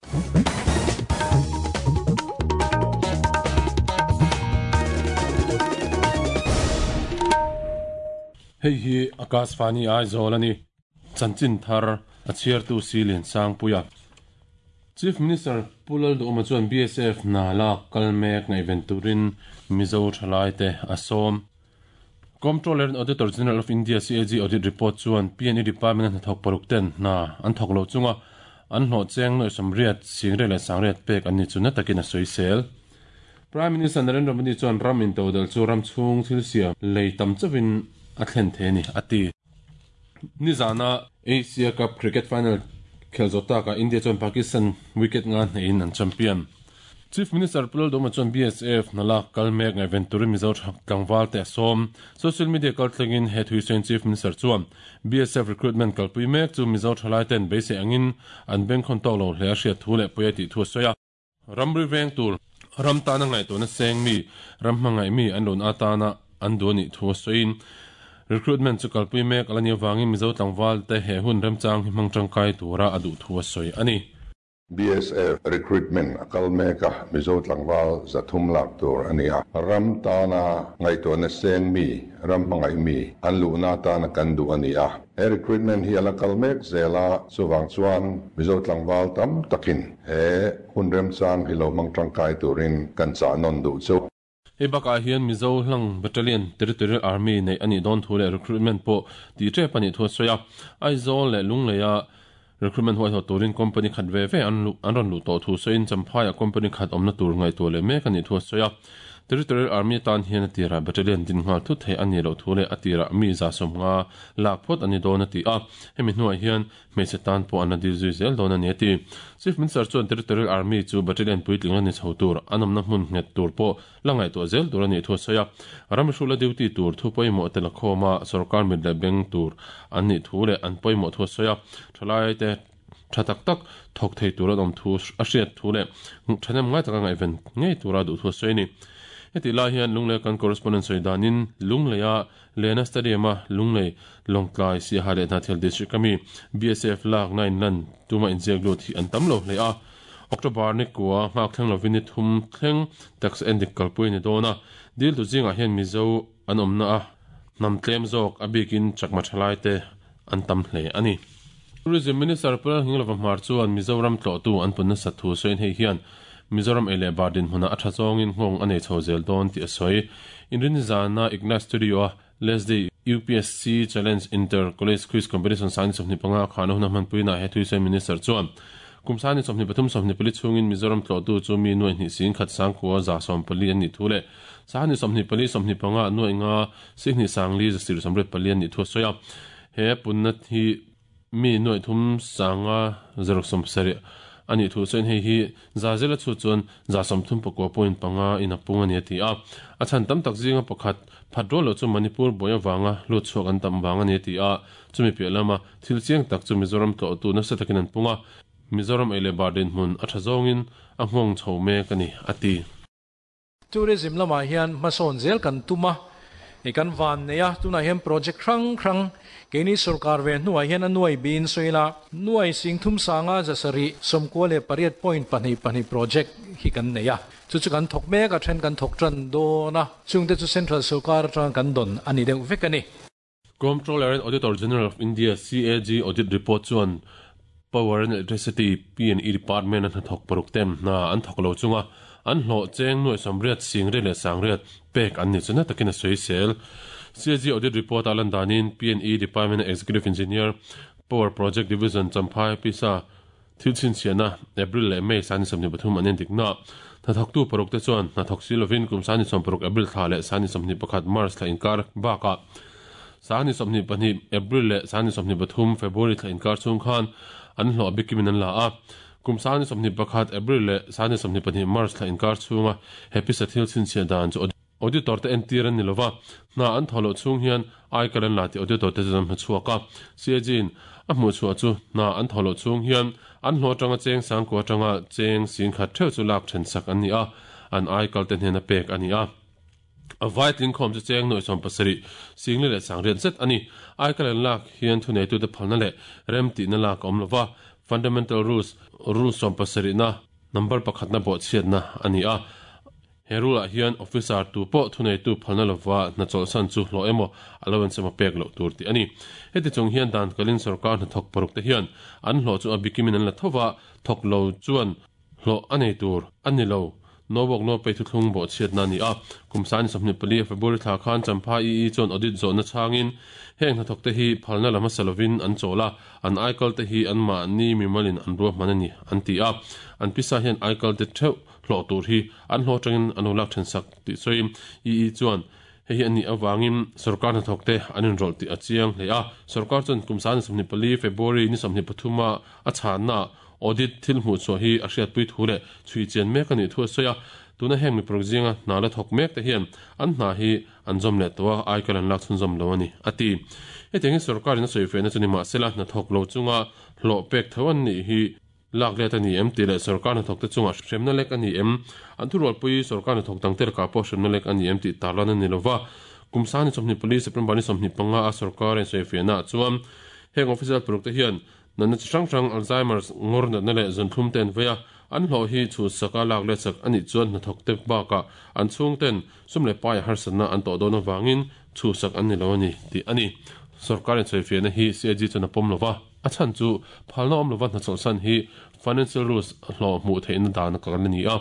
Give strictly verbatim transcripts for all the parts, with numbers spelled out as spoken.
Hei hi Akashvani Aizawl ani chanchin thar a chhiartu Silin Sangpuia. Chief Minister Pu Lalduhoma chuan B S F hna lak kalmek ngaihven turin Mizo thalai te a sawm. Comptroller and Auditor General of India C A G Audit Report chuan P and E Department hna thawk paruk ten hna an thawk lo chunga an hlawh cheng noi samriat singre leh sangriat pek an ni chu na takin a sawi sel. Prime Minister Narendra Modi chuan ram in todal chu ram chhung thil siam lei tam chawin a thlen the ni ati. Nizana Asia Cup Cricket Final khelzota ka India chuan Pakistan wicket nga hnein an champion. Chief Minister Pu Lalduhoma chuan B S F nalak kalmek ngaihven turin Mizo tlangval te a sawm. Social media kaltlengin he thuisain Chief Minister chuan B S F recruitment kalpui mek chu Mizo thalai ten beisei angin an bengkhawn tawk lo hle a hriat thu leh pawia tih thu a sawi a. Ramri veng tur ram tana ngaihtuahna seng mi ram hmangaih mi an lun atana an duh anih thu a sawiin recruitment chu kalpui mek alani awangin Mizo tlangval te he hun remchang hi hmang tangkai tura a duh thu a sawi ani. B S F recruitment akal meka Mizo tlangval zathum lak tur ania ram tana ngaihtuahna seng mi ram hmangaih mi an luhna tana kan duh ania he recruitment hi ala kal mek zela chuwang chuan Mizo tlangval tam takin he hun remchang hi lo hmang tangkai turin kan cha non duh chu. Hei bakah hian Mizo hlang Battalion Territorial Army nei ani dawn thu leh recruitment pawh ti tep ani thu a sawi a. Aizawl leh Lungleia recruitment huai haw turin company khat ve ve an an rawn luh tawh thu sawiin Champhaiah company khat awmna tur ngaihtuah leh mek ani thu a sawi a. Territorial Army tan hian a tirah battalion din nghal thut thei ani lo thu leh a tirah mi za sawm nga lak phawt ani dawn a ti a. Hemi hnuah hian hmeichhe tan pawh an la dil zui zel dawn ani a ti. Chief Minister chuan Territorial Army chu battalion puitling ani chho tur an awmna hmun nghet tur pawh la ngaihtuah zel tur ani thu a sawi a. Ram hrula duty tur thu pawimawh te la khawma sarkar mit leh beng tur an nih thu leh an pawimawh thu a sawi a. Thalai te tha tak tak thawk thei tur an awm thu a hriat thu leh thanem ngai taka ngaihven ngei tura duh thu a sawi ani. Heti lai hian Lunglei kan correspondent sawi danin Lungleia Lena Stadium a Lunglei Lawngtlai Siaha leh Hnathel District ami B S F lak nine lan tuma inziak lut hi an tam lo hle a. October ni kua nghak thleng lovin ni thum thleng tax endik kalpui ni dawn a. Dil tu zingah hian Mizo an awmna a hnam tlem zawk a bikin chakma thalai te an tam hle ani. Tourism Minister Pu Lalngilova Hmar chuan Mizoram tlawhtu an punna sathu sawiin hei hian Mizoram ei leh bar dinhmuna a tha zawngin nghawng a nei chho zel dawn tih a sawi. Inrin zana Ignite Studio a Leslie U P S C Challenge Inter College Quiz Competition sani sawmhnih panga khana hun a hmanpuina he thuisawi Minister chuan kum sani sawmhnih pathum sawmhnih pali chhungin Mizoram tlawhtu chu mi nuai hnih sing khat sangkua za sawm pali an nih thu leh sani sawmhnih pali sawmhnih panga nuai nga sihnih sangli zasir sawmriat pali an nih thu a sawi a. He punna hi mi nuai thum sanga zaruk sawm sarih ani thu sawiin hei hi za zela chu chuan za sawmthum pakua point panga in a pung ani a ti a. A chhan tam tak zinga pakhat phat rual lo chu Manipur boya wanga lut chhuak an tam wang ani a ti a. Chumi piah lama thil chiang tak chu Mizoram tlawhtu nasa takin an punga. Mizoram ei leh bar dinhmun a tha zawngin a nghawng chho mek ani a ti. Tourism lamah hian hmasawn zel kan tuma e kan van nei a tunah hian project hrang hrang keini sarkar ve hnuah hian a nuai bin sawi la nuai sing thum sanga zasari sawmkua leh pariat point pahnih pahnih project hi kan nei a. Chu chu kan thawk mek a then kan thawk tan dawn a chungte chu central sarkar atang kan dawn ani deuh vek ani. Comptroller and Auditor General of India C A G Audit Report chuan Power and Electricity P and E Department an thawk paruk tem na an thawk lo chunga an hlawh cheng nuai samriat singre leh sangriat pek an ni chu na takin a sawi sel. C A G Audit Report alan danin P and E Department Executive Engineer Power Project Division Champhai Pisa thil chhinchhiahna April leh May sani sawmhnih pathum an endik na. Hnathawktu paruk te chuan hnathawk si lovin kum sani sawm paruk April thla leh sani sawmhnih pakhat March thla inkar bakah sani sawmhnih pahnih April leh sani sawmhnih pathum February thla inkar chhung khan an hlawh bikimin an la a. Kum sani sawmhnih pakhat April leh sani sawmhnih pahnih March thla inkar chhunga he pisa thil chhinchhiah dan chu auditor te entir an ni lova. Hna an thaw loh chhung hian ai kalan la ti auditor te chuan hmachhuak a. C A G in a hmuh chhuah chu hna an thaw loh chhung hian an hlawh atanga cheng sangkua atanga cheng sing khat theuh chu lak then sak an ni a. An ai kal te hnen a pek ani a. A vai tling khawm chu cheng nuai sawm pasarih singli leh sangriat zet ani. Ai kalan lak hian thu nei tu te phalna leh rem tihna lak a awm lova. Fundamental Rules rule sawm pasarih na number pakhat na bawhchhiat na a ni a. He rule ah hian officer tu pawh thuneitu phalna lova hna chawlhsan chu hlawh emaw allowance emaw pek loh tur tih a ni. Heti chung hian dan kalin sorkar hnathawk paruk te hian an hlawh chu a bikimin an la thova, thawk lo chuan hlawh a nei tur a ni lo. No work no pay thuthlung bawhchhiatna a ni a. Kum sani sawmhnih pali February thla khan Champha E E chuan audit zawhna chhangin heng hnathawk te hi phalna la hmasa lovin an chawl a, an aikal te hi anmahni mimalin an ruahman a ni an ti a. An pisa hian aikal te theuh hlawh tur hi an hlawh atangin an lo lak then sak tih sawiin E E chuan hei hi a nih avangin sorkar hnathawk te an inrawlh tih a chiang hle a. Sorkar chuan kum sani sawmhnih pali February ni sawmhnih pathuma a chhanna audit thil hmuh chhuah hi a hriatpui thu leh chhui chian mek a nih thu a sawi a. Tuna heng mi paruk zinga hna la thawk mek te hian an hna hi an zawm leh tawh a, aikal an lak chhunzawm lo a ni, a ti. Hetiangin sorkarin a sawi fehna chu ni mahsela hna thawk lo chunga hlawh pek tho an nih hi lak let a ni em tih leh sorkar hnathawk te chungah hremna lek a ni em, an thurualpui sorkar hnathawk dangte lakah pawh hremna lek a ni em tih tarlan a ni lova. Kum sani sawmhnih pali September ni sawmhnih panga a sorkar a insawi fehna ah chuan heng official paruk te hian natna chi hrang hrang Alzheimer's ngawr natna leh zuntlum te an vei a, an hlawh hi chhuhsak a lak let sak a nih chuan hnathawk te bakah an chhungten sum leh paia harsatna an tawh dawn avangin chhuhsak an ni lo a ni tih a ni. Sorkar insawifiahna hi C A G chuan a pawm lova, a chhan chu phalna awm lova hnachawlhsan hi Financial Rules hlawh hmuh theihna dan a kal a ni a,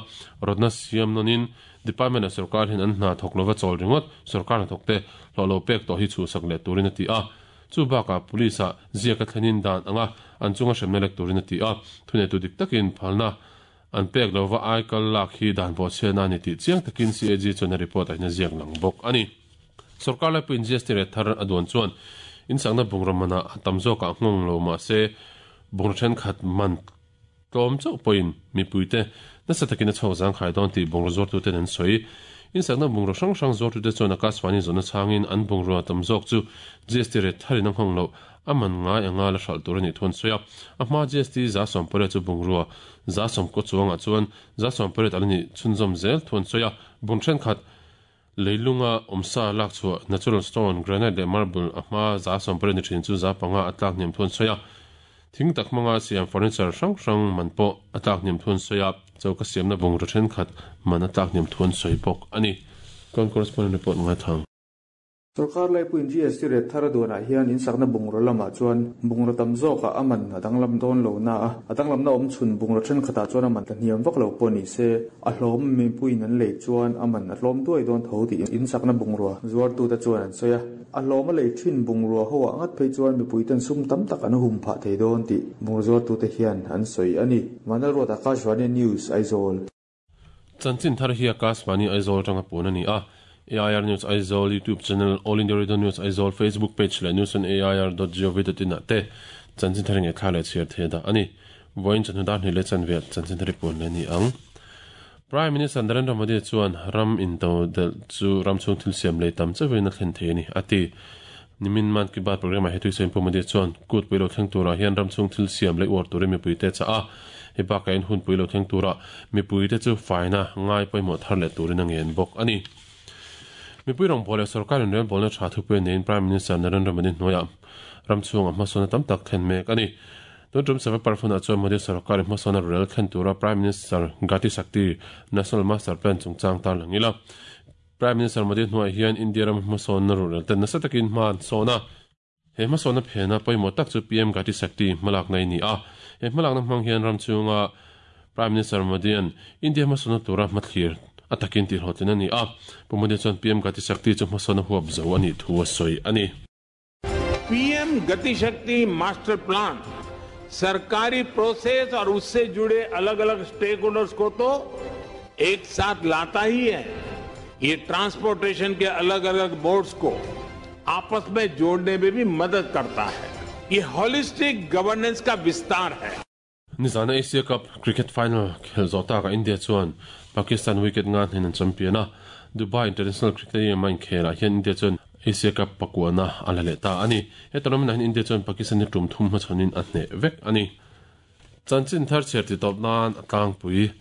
rawtna siam nawnin Department ah sorkar hian an hna thawk lova chawl ringawt sorkar hnathawk te hlawh lo pek tawh hi chhuhsak leh turin a ti a. Chu bakah police ah ziak a thlenin dan anga an chunga hremna lek turin a ti a, thuneitu dik takin phalna an pek lova aikal lak hi dan bawhchhiatna a ni tih chiang takin C A G chuan a report ah hian a ziak lang bawk a ni. Sorkar laipuiin G S T rate thar a duan chuan insakna bungraw manah a tam zawkah nghawng lo mahse bungraw thenkhat man tlawm chauh pawhin mipuite nasa takin a chhuak zangkhai dawn tih bungraw zuartuten an sawi. Insakna bungraw hrang hrang zuartute chuan Akashvani zawhna chhangin an bungrua tam zawk chu G S T rate tharin a nghawng loh a man ngai anga la hralh tur a nih thu an sawi a. A hma G S T za sawm pariat chu bungrua za sawm kaw chuangah chuan za sawm pariat ala nih chhunzawm zel thu an sawi a. Bung thenkhat leilunga awmsa lak chhuah natural stone, granite leh marble a hma za sawm pariat ni thin chu za panga a tlak hniam thu an sawi a. Thing tak hmanga siam furniture hrang hrang man pawh a tlak hniam thu an sawi a, choka siamna bungraw thenkhat man a tlak hniam thu an sawi bawk a ni. Kan correspondent report ngai thang. Sorkar laipuiin G S T rate thar a duanah hian insakna bungraw lamah chuan bungraw tam zawkah a man a danglam dawn lo na a, a danglamna awm chhun bungraw thenkhatah chuan a man ta hniam vak lo pawh ni se, a hlawm mipuiin an lei chuan a man a hlawm duai dawn tho tih insakna bungrua zuartute chuan an sawi a. A hlawm a lei thin bungrua ho ah ngat phei chuan mipuiten sum tam tak an hum phah thei dawn tih bungraw zuartute hian an sawi a ni. Vanlalruat Akashvani News, Aizawl. Chanchin thar hi Akashvani Aizawl atanga pun a ni a. A I R News Aizawl YouTube channel, All India Radio News Aizawl Facebook page leh news on A I R dot gov dot in ah te chanchin thar nge thla leh chhiar thei dah a ni. Vawiin chanhnu dar hnih leh chanve chanchin thar pun leh ni ang. Prime Minister Narendra Modi chuan ram into del chu ram chhung thil siam lei tam chawin a thlen thei a ni a ti. Nimin Man Ki Baat program ah hetui sain Pu Modi chuan kut pui lo thleng turah hian ram chhung thil siam lei uar turin mipui te cha a, he bakah in hun pui lo thleng turah mipui te chu faina ngai pawimawh thar leh turin a ngen bawk a ni. Mipui rawng leh sorkarin relbawlna tha thupui neiin Prime Minister Narendra Modi hnuaiah ram chhungah hmasawna tam tak thlen mek a ni. Tun tum sava parfuna chuan Modi sarkarin hmasawna rel thlen tura Prime Minister Gati Shakti National Master Plan chungchang tar langila. Prime Minister Modi hnuaiah hian India ram hmasawna rel ten nasa takin hman sawna. He hmasawna phena pawimawh tak chu P M Gati Shakti hmalak nei ni a. He hmalakna hmang hian ram chhunga Prime Minister Modi an India hmasawna tura hmathlir a takin ti hlawhtlin a ni a. Pu Modi chuan P M Gati Shakti chu hmasawna huap zo a nih thu a sawi a ni. P M Gati Shakti Master Plan सरकारी प्रोसेस और उससे जुड़े अलग अलग stake holders को तो एक साथ लाता ही है, ये ट्रांसपोर्टेशन के अलग अलग बोर्ड्स को आपस में जोड़ने में भी मदद करता है। ये होलिस्टिक गवर्नेंस का विस्तार है। Nizana Asia Cup cricket final khel zawh taka India chuan Pakistan wicket nga hnen an champion a. Dubai International Cricket Stadium a inkhelah hian India chuan Asia Cup pakuana a la leh ta a ni. He tournament ah hian India chuan Pakistan ni tum thum hmachhawnin a hneh vek a ni. Chanchin thar chhiar ti tawp nan a tlangpui.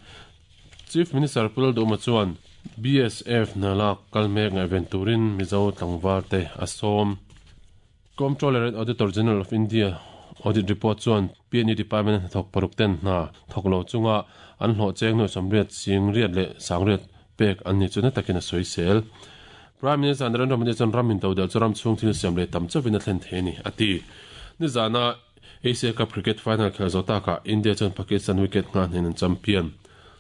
Chief Minister Pu Lalduhoma chuan B S F nalak kalmek ngaihven turin Mizo tlangval te a sawm. Comptroller and Auditor General of India Audit report chuan P N E department hnathawk paruk ten hna thawk lo chunga an hlawh cheng nuai sawmriat sing riat leh sangriat pek an ni chu na takin a sawi sel. Prime Minister Narendra Modi chuan ram in todel chu ram chhung thil siam leh tam chauhin a thlen thei a ni a ti. Nizana Asia Cup cricket final khel zo taka India chuan Pakistan wicket nga hnen an champion.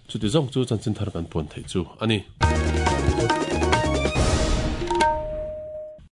Chuti zawng chu chanchin thar kan puan thei chu a ni.